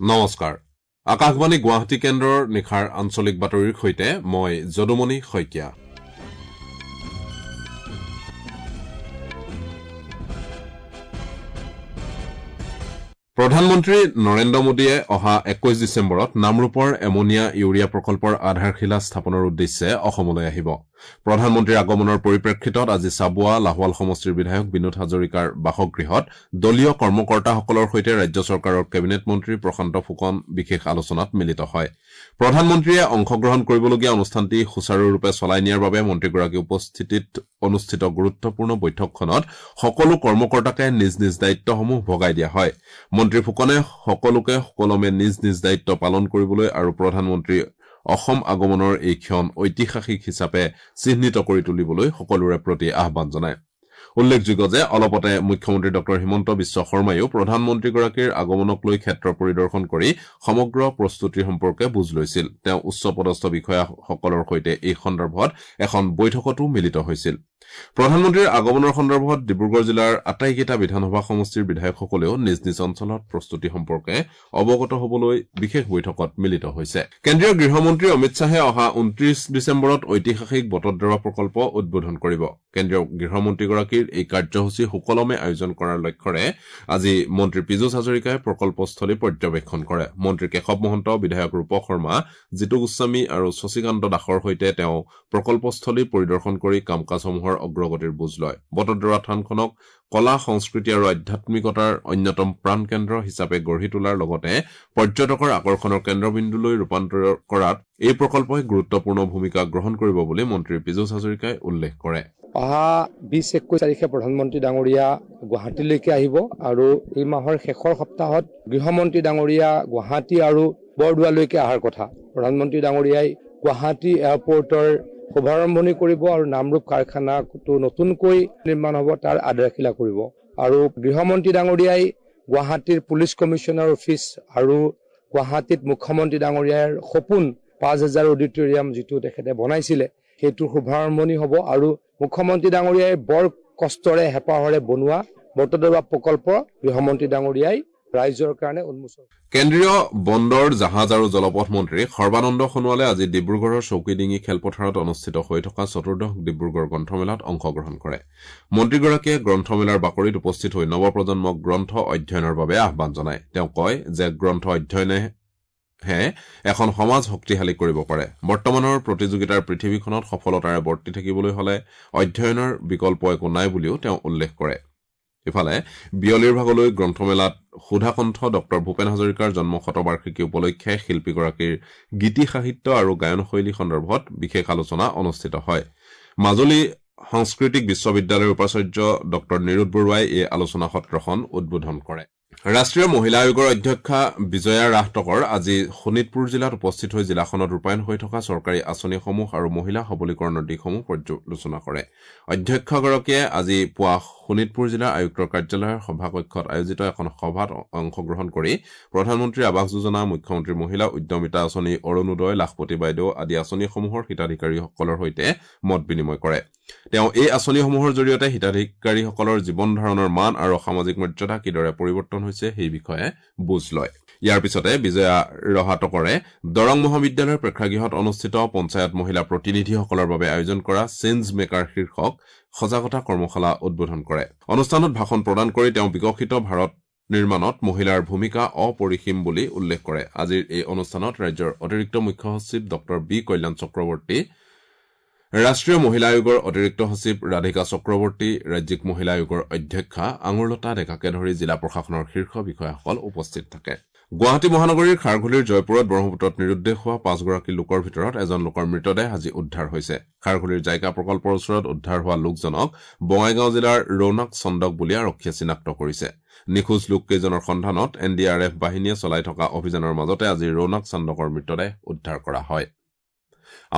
নমস্কাৰ, আকাশবাণী গুৱাহাটী কেন্দ্ৰৰ নিশাৰ আঞ্চলিক বাতৰিৰ সৈতে মই যদুমণি শইকীয়া। প্ৰধানমন্ত্ৰী নৰেন্দ্ৰ মোদীয়ে অহা 21 ডিচেম্বৰত নামৰূপৰ এমনিয়া ইউৰিয়া প্ৰকল্পৰ আধাৰশিলা স্থাপনৰ উদ্দেশ্যে অসমলৈ আহিব। প্ৰধানমন্ত্ৰীৰ আগমনৰ পৰিপ্ৰেক্ষিতত আজি চাবুৱা লাহোৱাল সমষ্টিৰ বিধায়ক বিনোদ হাজৰিকাৰ বাসগৃহত দলীয় কৰ্মকৰ্তাসকলৰ সৈতে ৰাজ্য চৰকাৰৰ কেবিনেট মন্ত্ৰী প্ৰশান্ত ফুকন বিশেষ আলোচনাত মিলিত হয়। প্ৰধানমন্ত্ৰীয়ে অংশগ্ৰহণ কৰিবলগীয়া অনুষ্ঠানটি সুচাৰুৰূপে চলাই নিয়াৰ বাবে মন্ত্ৰীগৰাকীৰ উপস্থিতিত অনুষ্ঠিত গুৰুত্বপূৰ্ণ বৈঠকখনত সকলো কৰ্মকৰ্তাকে নিজ নিজ দায়িত্বসমূহ ভগাই দিয়া হয়। মন্ত্ৰী ফুকনে সকলোকে সুকলমে নিজ নিজ দায়িত্ব পালন কৰিবলৈ আৰু প্ৰধানমন্ত্ৰী অসম আগমনৰ এই ক্ষণ ঐতিহাসিক হিচাপে চিহ্নিত কৰি তুলিবলৈ সকলোৰে প্ৰতি আহ্বান জনায়। উল্লেখযোগ্য যে অলপতে মুখ্যমন্ত্ৰী ডঃ হিমন্ত বিশ্ব শৰ্মাইও প্ৰধানমন্ত্ৰীগৰাকীৰ আগমনক লৈ ক্ষেত্ৰ পৰিদৰ্শন কৰি সমগ্ৰ প্ৰস্তুতি সম্পৰ্কে বুজ লৈছিল। তেওঁ উচ্চ পদস্থ বিষয়াসকলৰ সৈতে এই সন্দৰ্ভত এখন বৈঠকতো মিলিত হৈছিল। প্ৰধানমন্ত্ৰীৰ আগমনৰ সন্দৰ্ভত ডিব্ৰুগড় জিলাৰ আটাইকেইটা বিধানসভা সমষ্টিৰ বিধায়কসকলেও নিজ নিজ অঞ্চলত প্ৰস্তুতি সম্পৰ্কে অৱগত হবলৈ বিশেষ বৈঠকত মিলিত হৈছে। কেন্দ্ৰীয় গৃহমন্ত্ৰী অমিত শ্বাহে অহা 29 ডিচেম্বৰত ঐতিহাসিক বটদ্ৰৱা প্ৰকল্প উদ্বোধন কৰিব। কেন্দ্ৰীয় গৃহমন্ত্ৰীগৰাকীৰ এই কাৰ্যসূচী সুকলমে আয়োজন কৰাৰ লক্ষ্যৰে আজি মন্ত্ৰী পীযুষ হাজৰিকাই প্ৰকল্পস্থলী পৰ্যবেক্ষণ কৰে। মন্ত্ৰী কেশৱ মহন্ত, বিধায়ক ৰূপক শৰ্মা, জিতু গোস্বামী আৰু শশীকান্ত দাসৰ সৈতে তেওঁ প্ৰকল্পস্থলী পৰিদৰ্শন কৰি কাম কাজসমূহৰ অগ্ৰগতিৰ বুজ লয়। বটদ্ৰৱা থানখনক কলা, সংস্কৃতি আৰু আধ্যাত্মিকতাৰ অন্যতম প্ৰাণকেন্দ্ৰ হিচাপে গঢ়ি তোলাৰ লগতে পৰ্যটকৰ আকৰ্ষণৰ কেন্দ্ৰবিন্দুলৈ ৰূপান্তৰ কৰাত এই প্ৰকল্পই গুৰুত্বপূৰ্ণ ভূমিকা গ্ৰহণ কৰিব বুলি মন্ত্ৰী পীযুষ হাজৰিকাই উল্লেখ কৰে। অহা 20-21 তাৰিখে প্ৰধানমন্ত্ৰী ডাঙৰীয়া গুৱাহাটীলৈকে আহিব আৰু এই মাহৰ শেষৰ সপ্তাহত গৃহমন্ত্ৰী ডাঙৰীয়া গুৱাহাটী আৰু বৰদোৱালৈকে অহাৰ কথা। প্ৰধানমন্ত্ৰী ডাঙৰীয়াই গুৱাহাটী এয়াৰপৰ্টৰ শুভাৰম্ভণি কৰিব আৰু নামৰূপ কাৰখানাটো নতুনকৈ নিৰ্মাণ হ'ব তাৰ আধাৰশিলা কৰিব। আৰু গৃহমন্ত্ৰী ডাঙৰীয়াই গুৱাহাটীৰ পুলিচ কমিশ্যনাৰ অফিচ আৰু গুৱাহাটীত মুখ্যমন্ত্ৰী ডাঙৰীয়াৰ সপোন 5000 অডিটৰিয়াম যিটো তেখেতে বনাইছিলে সেইটোৰ শুভাৰম্ভণি হ'ব। আৰু মুখ্যমন্ত্ৰী ডাঙৰীয়াই বৰ কষ্টৰে হেঁপাহৰে বনোৱা বটদ্ৰৱা প্ৰকল্প গৃহমন্ত্ৰী ডাঙৰীয়াই ৰাইজৰ কাৰণে উন্মোচন। কেন্দ্ৰীয় বন্দৰ, জাহাজ আৰু জলপথ মন্ত্ৰী সৰ্বানন্দ সোণোৱালে আজি ডিব্ৰুগড়ৰ চৌকিডিঙি খেলপথাৰত অনুষ্ঠিত হৈ থকা চতুৰ্দশ ডিব্ৰুগড় গ্ৰন্থমেলাত অংশগ্ৰহণ কৰে। মন্ত্ৰীগৰাকীয়ে গ্ৰন্থমেলাৰ বাকৰিত উপস্থিত হৈ নৱপ্ৰজন্মক গ্ৰন্থ অধ্যয়নৰ বাবে আহ্বান জনায়। তেওঁ কয় যে গ্ৰন্থ অধ্যয়নেহে এখন সমাজ শক্তিশালী কৰিব পাৰে। বৰ্তমানৰ প্ৰতিযোগিতাৰ পৃথিৱীখনত সফলতাৰে বৰ্তি থাকিবলৈ হলে অধ্যয়নৰ বিকল্প একো নাই বুলিও তেওঁ উল্লেখ কৰে। ইফালে বিয়লিৰ ভাগলৈ গ্ৰন্থমেলাত সুধাকণ্ঠ ডঃ ভূপেন হাজৰিকাৰ জন্ম শতবাৰ্ষিকী উপলক্ষে শিল্পীগৰাকীৰ গীতি সাহিত্য আৰু গায়নশৈলী সন্দৰ্ভত বিশেষ আলোচনা অনুষ্ঠিত হয়। মাজুলী সাংস্কৃতিক বিশ্ববিদ্যালয়ৰ উপাচাৰ্য ডঃ নিৰোদ বৰুৱাই এই আলোচনা সত্ৰখন উদ্বোধন কৰে। ৰাষ্ট্ৰীয় মহিলা আয়োগৰ অধ্যক্ষা বিজয়া ৰাহটকৰ আজি শোণিতপুৰ জিলাত উপস্থিত হৈ জিলাখনত ৰূপায়ণ হৈ থকা চৰকাৰী আঁচনিসমূহ আৰু মহিলা সবলীকৰণৰ দিশসমূহ পৰ্যালোচনা কৰে। অধ্যক্ষগৰাকীয়ে আজি পুৱা শোণিতপুৰ জিলাৰ আয়ুক্তৰ কাৰ্যালয়ৰ সভাকক্ষত আয়োজিত এখন সভাত অংশগ্ৰহণ কৰি প্ৰধানমন্ত্ৰী আৱাস যোজনা, মুখ্যমন্ত্ৰী মহিলা উদ্যমিতা আঁচনি, অৰুণোদয়, লাখপতি বাইদেউ আদি আঁচনিসমূহৰ হিতাধিকাৰীসকলৰ সৈতে মত বিনিময় কৰে। তেওঁ এই আঁচনিসমূহৰ জৰিয়তে হিতাধিকাৰীসকলৰ জীৱন ধাৰণৰ মান আৰু সামাজিক মৰ্যাদা কিদৰে পৰিৱৰ্তন হৈছে সেই বিষয়ে বুজ লয়। ইয়াৰ পিছতে বিজয়া ৰহাটকৰে দৰং মহাবিদ্যালয়ৰ প্ৰেক্ষাগৃহত অনুষ্ঠিত পঞ্চায়ত মহিলা প্ৰতিনিধিসকলৰ বাবে আয়োজন কৰা চেঞ্জ মেকাৰ শীৰ্ষক সজাগতা কৰ্মশালা উদ্বোধন কৰে। অনুষ্ঠানত ভাষণ প্ৰদান কৰি তেওঁ বিকশিত ভাৰত নিৰ্মাণত মহিলাৰ ভূমিকা অপৰিসীম বুলি উল্লেখ কৰে। আজিৰ এই অনুষ্ঠানত ৰাজ্যৰ অতিৰিক্ত মুখ্য সচিব ডঃ বি কল্যাণ চক্ৰৱৰ্তী, ৰাষ্ট্ৰীয় মহিলা আয়োগৰ অতিৰিক্ত সচিব ৰাধিকা চক্ৰৱৰ্তী, ৰাজ্যিক মহিলা আয়োগৰ অধ্যক্ষা আঙুৰলতা ডেকাকে ধৰি জিলা প্ৰশাসনৰ শীৰ্ষ বিষয়াসকল উপস্থিত থাকে। গুৱাহাটী মহানগৰীৰ খাৰঘুলিৰ জয়পুৰত ব্ৰহ্মপুত্ৰত নিৰুদ্দেশ হোৱা 5গৰাকী লোকৰ ভিতৰত এজন লোকৰ মৃতদেহ আজি উদ্ধাৰ হৈছে। খাৰঘুলিৰ জাইকা প্ৰকল্পৰ ওচৰত উদ্ধাৰ হোৱা লোকজনক বঙাইগাঁও জিলাৰ ৰৌনক চন্দক বুলি আৰক্ষীয়ে চিনাক্ত কৰিছে। নিখোজ লোককেইজনৰ সন্ধানত এন ডি আৰ এফ বাহিনীয়ে চলাই থকা অভিযানৰ মাজতে আজি ৰৌনক চন্দকৰ মৃতদেহ উদ্ধাৰ কৰা হয়।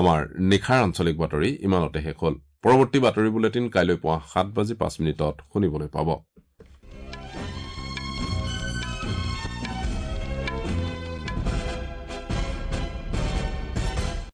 আমাৰ নিশাৰ আঞ্চলিক বাতৰি ইমানতে শেষ হ'ল। পৰৱৰ্তী বাতৰি বুলেটিন কাইলৈ পুৱা 7:05 শুনিবলৈ পাব।